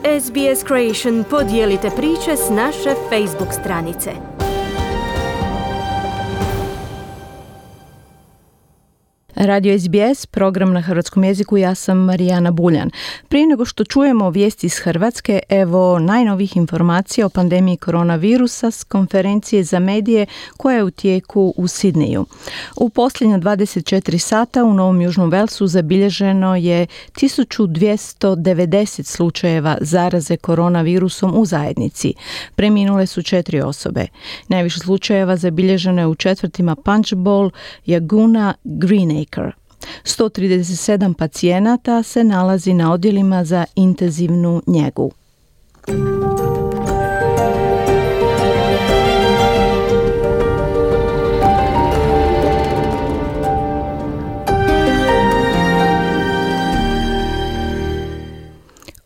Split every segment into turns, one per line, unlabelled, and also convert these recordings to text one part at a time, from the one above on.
SBS Creation, podijelite priče s naše Facebook stranice.
Radio SBS, program na hrvatskom jeziku, ja sam Marijana Buljan. Prije nego što čujemo vijesti iz Hrvatske, evo najnovih informacija o pandemiji koronavirusa s konferencije za medije koja je u tijeku u Sidneju. U posljednja 24 sata u Novom Južnom Velsu zabilježeno je 1290 slučajeva zaraze koronavirusom u zajednici. Preminule su 4 osobe. Najviše slučajeva zabilježeno je u četvrtima Punchbowl, Yaguna, Greenacre. 137 pacijenata se nalazi na odjelima za intenzivnu njegu.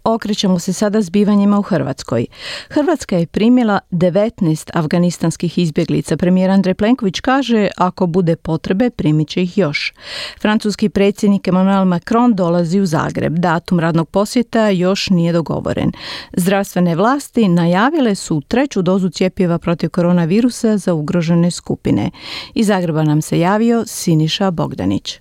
Okrećemo se sada zbivanjima u Hrvatskoj. Hrvatska je primila 19 afganistanskih izbjeglica. Premijer Andrej Plenković kaže, ako bude potrebe, primit će ih još. Francuski predsjednik Emmanuel Macron dolazi u Zagreb. Datum radnog posjeta još nije dogovoren. Zdravstvene vlasti najavile su 3. dozu cjepiva protiv koronavirusa za ugrožene skupine. Iz Zagreba nam se javio Siniša Bogdanić.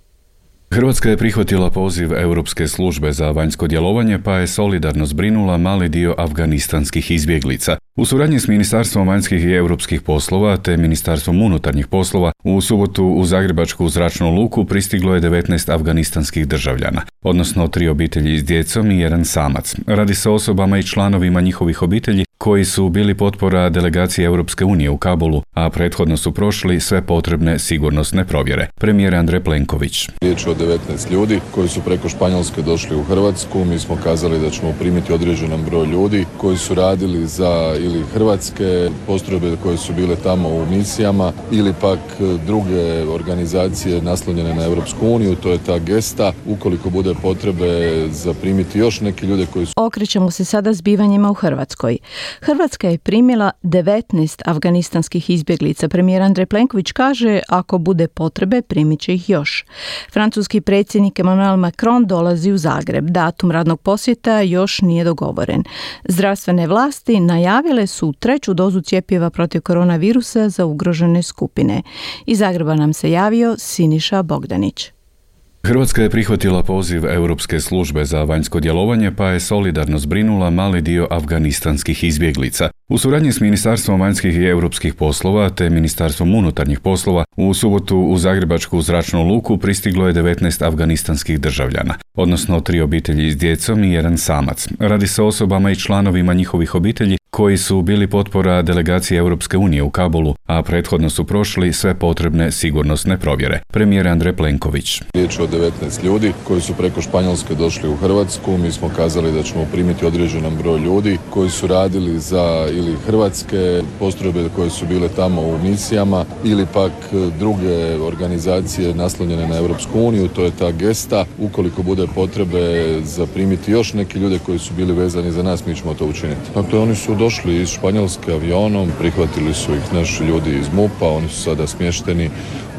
Hrvatska je prihvatila poziv Europske službe za vanjsko djelovanje pa je solidarno zbrinula mali dio afganistanskih izbjeglica. U suradnji s Ministarstvom vanjskih i europskih poslova te Ministarstvom unutarnjih poslova u subotu u Zagrebačku zračnu luku pristiglo je 19 afganistanskih državljana, odnosno 3 obitelji s djecom i 1 samac. Radi se o osobama i članovima njihovih obitelji koji su bili potpora delegacije Europske unije u Kabulu, a prethodno su prošli sve potrebne sigurnosne provjere. Premijer Andrej Plenković.
Riječ je o 19 ljudi koji su preko Španjolske došli u Hrvatsku. Mi smo kazali da ćemo primiti određenan broj ljudi koji su radili za ili hrvatske postrojbe koje su bile tamo u misijama ili pak druge organizacije naslonjene na Europsku uniju, to je ta gesta. Ukoliko bude potrebe za primiti još neki ljude koji su...
Okrećemo se sada zbivanjima u Hrvatskoj. Hrvatska je primila 19 afganistanskih izbjeglica. Premijer Andrej Plenković kaže, ako bude potrebe, primit će ih još. Francuski predsjednik Emmanuel Macron dolazi u Zagreb. Datum radnog posjeta još nije dogovoren. Zdravstvene vlasti najavile su 3. dozu cjepiva protiv koronavirusa za ugrožene skupine. Iz Zagreba nam se javio Siniša Bogdanić.
Hrvatska je prihvatila poziv Europske službe za vanjsko djelovanje pa je solidarno zbrinula mali dio afganistanskih izbjeglica. U suradnji s Ministarstvom vanjskih i europskih poslova te Ministarstvom unutarnjih poslova u subotu u Zagrebačku zračnu luku pristiglo je 19 afganistanskih državljana, odnosno 3 obitelji s djecom i 1 samac. Radi se o osobama i članovima njihovih obitelji koji su bili potpora delegacije Europske unije u Kabulu, a prethodno su prošli sve potrebne sigurnosne provjere. Premijer Andrej Plenković.
Riječ je o 19 ljudi koji su preko Španjolske došli u Hrvatsku. Mi smo kazali da ćemo primiti određenan broj ljudi koji su radili za ili hrvatske postrojbe koje su bile tamo u misijama ili pak druge organizacije naslonjene na Europsku uniju, to je ta gesta. Ukoliko bude potrebe za primiti još neki ljude koji su bili vezani za nas, mi ćemo to učiniti. Dakle, oni su došli iz Španjolske avionom, prihvatili su ih naši ljudi iz MUP-a, oni su sada smješteni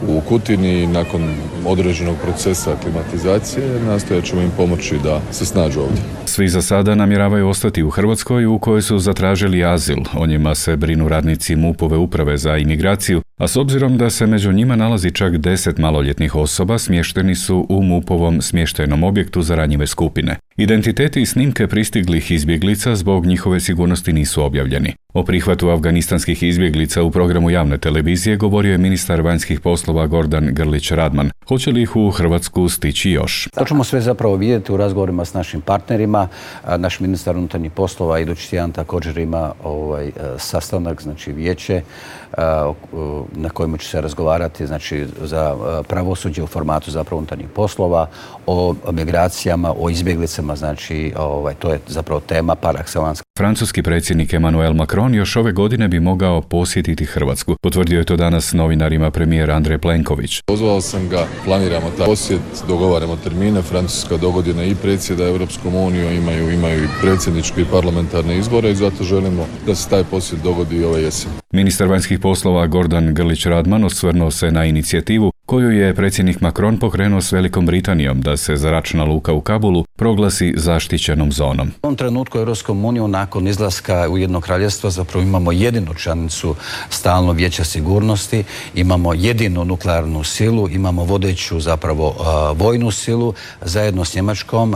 u Kutini. Nakon određenog procesa aklimatizacije nastojat ćemo im pomoći da se snađu ovdje.
Svi za sada namjeravaju ostati u Hrvatskoj u kojoj su zatražili azil. O njima se brinu radnici MUP-ove uprave za imigraciju, a s obzirom da se među njima nalazi čak 10 maloljetnih osoba, smješteni su u MUP-ovom smještajnom objektu za ranjive skupine. Identiteti i snimke pristiglih izbjeglica zbog njihove sigurnosti nisu objavljeni. O prihvatu afganistanskih izbjeglica u programu javne televizije govorio je ministar vanjskih poslova Gordan Grlić Radman. Hoće li ih u Hrvatsku stići još?
To ćemo sve zapravo vidjeti u razgovorima s našim partnerima. Naš ministar unutarnjih poslova idući tjedan također ima sastanak, znači vijeće na kojemu će se razgovarati, znači za pravosuđe u formatu zapravo unutarnjih poslova, o migracijama, o izbjeglicama, znači to je zapravo tema par excellence.
Francuski predsjednik Emmanuel Macron još ove godine bi mogao posjetiti Hrvatsku. Potvrdio je to danas novinarima premijer Andrej Plenković.
Pozvao sam ga, planiramo taj posjet, dogovaramo termine. Francuska dogodine i predsjeda Europskom unijom, imaju i predsjedničke i parlamentarne izbore i zato želimo da se taj posjet dogodi ove jeseni.
Ministar vanjskih poslova Gordan Grlić Radman osvrnuo se na inicijativu koju je predsjednik Macron pokrenuo s Velikom Britanijom da se zračna luka u Kabulu proglasi zaštićenom zonom.
U ovom trenutku u Europskom uniju nakon izlaska Ujedinjenog kraljevstva zapravo imamo jedinu članicu stalnog vijeća sigurnosti, imamo jedinu nuklearnu silu, imamo vodeću zapravo vojnu silu, zajedno s Njemačkom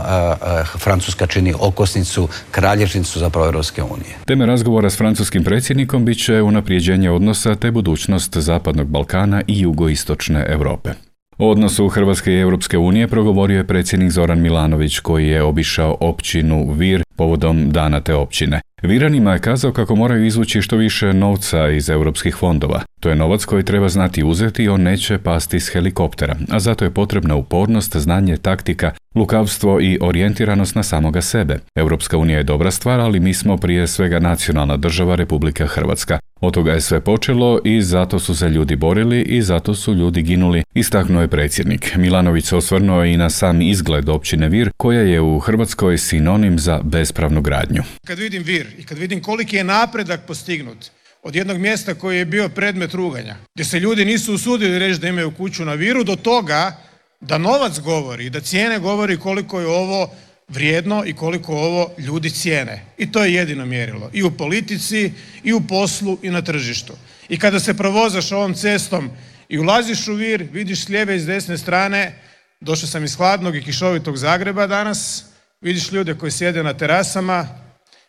Francuska čini okosnicu, kralježnicu zapravo Europske unije.
Teme razgovora s francuskim predsjednikom bit će unaprijeđenje odnosa te budućnost Zapadnog Balkana i jugoistočne Europe. O odnosu Hrvatske i Europske unije progovorio je predsjednik Zoran Milanović koji je obišao općinu Vir povodom dana te općine. Viranima je kazao kako moraju izvući što više novca iz europskih fondova. To je novac koji treba znati uzeti i on neće pasti s helikoptera, a zato je potrebna upornost, znanje, taktika, lukavstvo i orijentiranost na samoga sebe. Europska unija je dobra stvar, ali mi smo prije svega nacionalna država Republika Hrvatska. Od toga je sve počelo i zato su se ljudi borili i zato su ljudi ginuli, istaknuo je predsjednik. Milanović se osvrnuo i na sam izgled općine Vir, koja je u Hrvatskoj sinonim za bespravnu gradnju.
Kad vidim Vir i kad vidim koliki je napredak postignut od jednog mjesta koji je bio predmet ruganja, gdje se ljudi nisu usudili reći da imaju kuću na Viru, do toga da novac govori, da cijene govori koliko je ovo vrijedno i koliko ovo ljudi cijene. I to je jedino mjerilo. I u politici, i u poslu, i na tržištu. I kada se provozaš ovom cestom i ulaziš u Vir, vidiš s lijeve i s desne strane, došao sam iz hladnog i kišovitog Zagreba danas, vidiš ljude koji sjede na terasama,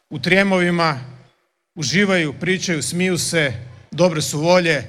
u trijemovima, uživaju, pričaju, smiju se, dobre su volje,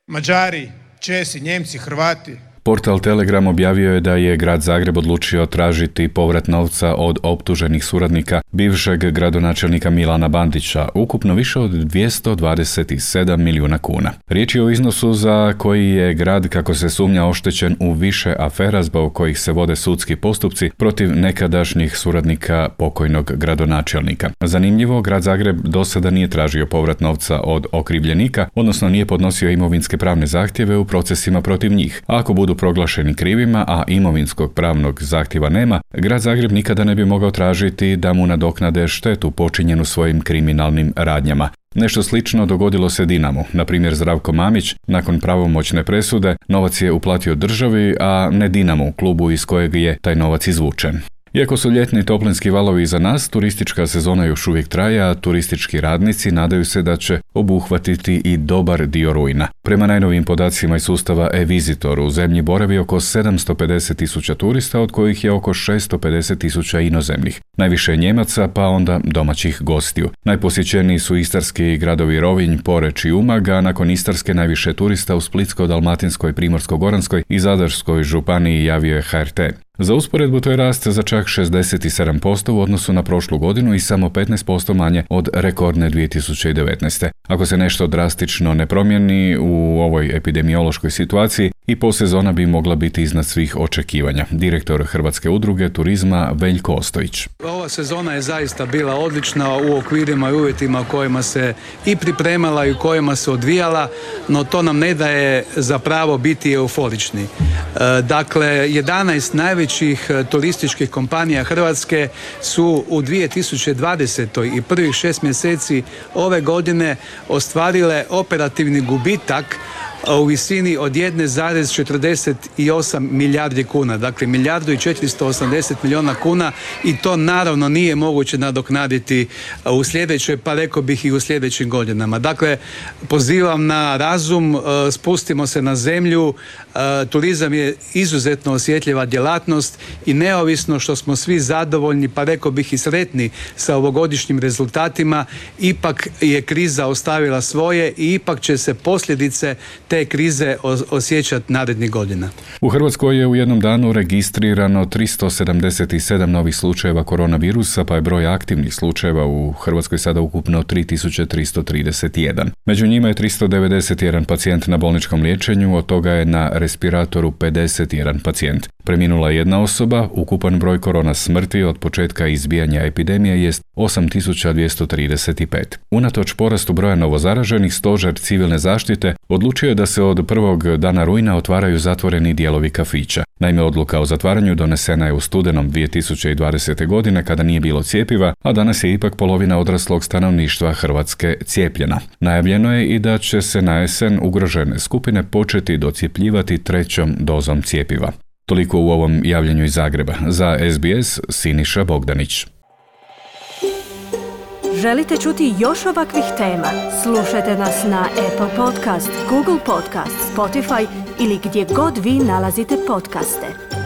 Mađari, Česi, Njemci, Hrvati.
Portal Telegram objavio je da je grad Zagreb odlučio tražiti povrat novca od optuženih suradnika bivšeg gradonačelnika Milana Bandića, ukupno više od 227 milijuna kuna. Riječ je o iznosu za koji je grad, kako se sumnja, oštećen u više afera zbog kojih se vode sudski postupci protiv nekadašnjih suradnika pokojnog gradonačelnika. Zanimljivo, grad Zagreb do sada nije tražio povrat novca od okrivljenika, odnosno nije podnosio imovinske pravne zahtjeve u procesima protiv njih. A ako budu proglašeni krivima, a imovinskog pravnog zahtjeva nema, grad Zagreb nikada ne bi mogao tražiti da mu nadoknade štetu počinjenu svojim kriminalnim radnjama. Nešto slično dogodilo se Dinamu. Na primjer, Zdravko Mamić, nakon pravomoćne presude, novac je uplatio državi, a ne Dinamu, klubu iz kojeg je taj novac izvučen. Iako su ljetni toplinski valovi iza nas, turistička sezona još uvijek traje, a turistički radnici nadaju se da će obuhvatiti i dobar dio rujna. Prema najnovijim podacima iz sustava e-Visitor, u zemlji boravi oko 750.000 turista, od kojih je oko 650.000 inozemnih. Najviše Njemaca, pa onda domaćih gostiju. Najposjećeniji su istarski gradovi Rovinj, Poreč i Umag, a nakon Istarske najviše turista u Splitsko-dalmatinskoj, Primorsko-goranskoj i Zadarskoj županiji, javio je HRT. Za usporedbu to je rast za čak 67% u odnosu na prošlu godinu i samo 15% manje od rekordne 2019. Ako se nešto drastično ne promijeni u ovoj epidemiološkoj situaciji, i posezona bi mogla biti iznad svih očekivanja. Direktor Hrvatske udruge turizma Veljko Ostojić.
Ova sezona je zaista bila odlična u okvirima i uvjetima u kojima se i pripremala i u kojima se odvijala, no to nam ne daje za pravo biti euforični. Dakle, 11 najvećih turističkih kompanija Hrvatske su u 2020. i prvih 6 mjeseci ove godine ostvarile operativni gubitak u visini od 1,48 milijardi kuna, dakle 1,480 milijuna kuna, i to naravno nije moguće nadoknaditi u sljedećoj, pa rekao bih i u sljedećim godinama. Dakle, pozivam na razum, spustimo se na zemlju, turizam je izuzetno osjetljiva djelatnost i neovisno što smo svi zadovoljni, pa rekao bih i sretni sa ovogodišnjim rezultatima, ipak je kriza ostavila svoje i ipak će se posljedice te krize osjećati narednih godina.
U Hrvatskoj je u jednom danu registrirano 377 novih slučajeva koronavirusa, pa je broj aktivnih slučajeva u Hrvatskoj sada ukupno 3331. Među njima je 391 pacijent na bolničkom liječenju, od toga je na respiratoru 51 pacijent. Preminula je jedna osoba, ukupan broj korona smrti od početka izbijanja epidemije jest 8235. Unatoč porastu broja novozaraženih, stožer civilne zaštite odlučio je da se od prvog dana rujna otvaraju zatvoreni dijelovi kafića. Naime, odluka o zatvaranju donesena je u studenom 2020. godine kada nije bilo cjepiva, a danas je ipak polovina odraslog stanovništva Hrvatske cijepljena. Najavljeno je i da će se na jesen ugrožene skupine početi docjepljivati 3. dozom cjepiva. Toliko u ovom javljanju iz Zagreba. Za SBS, Siniša Bogdanić.
Želite čuti još ovakvih tema? Slušajte nas na Apple Podcast, Google Podcast, Spotify ili gdje god vi nalazite podcaste.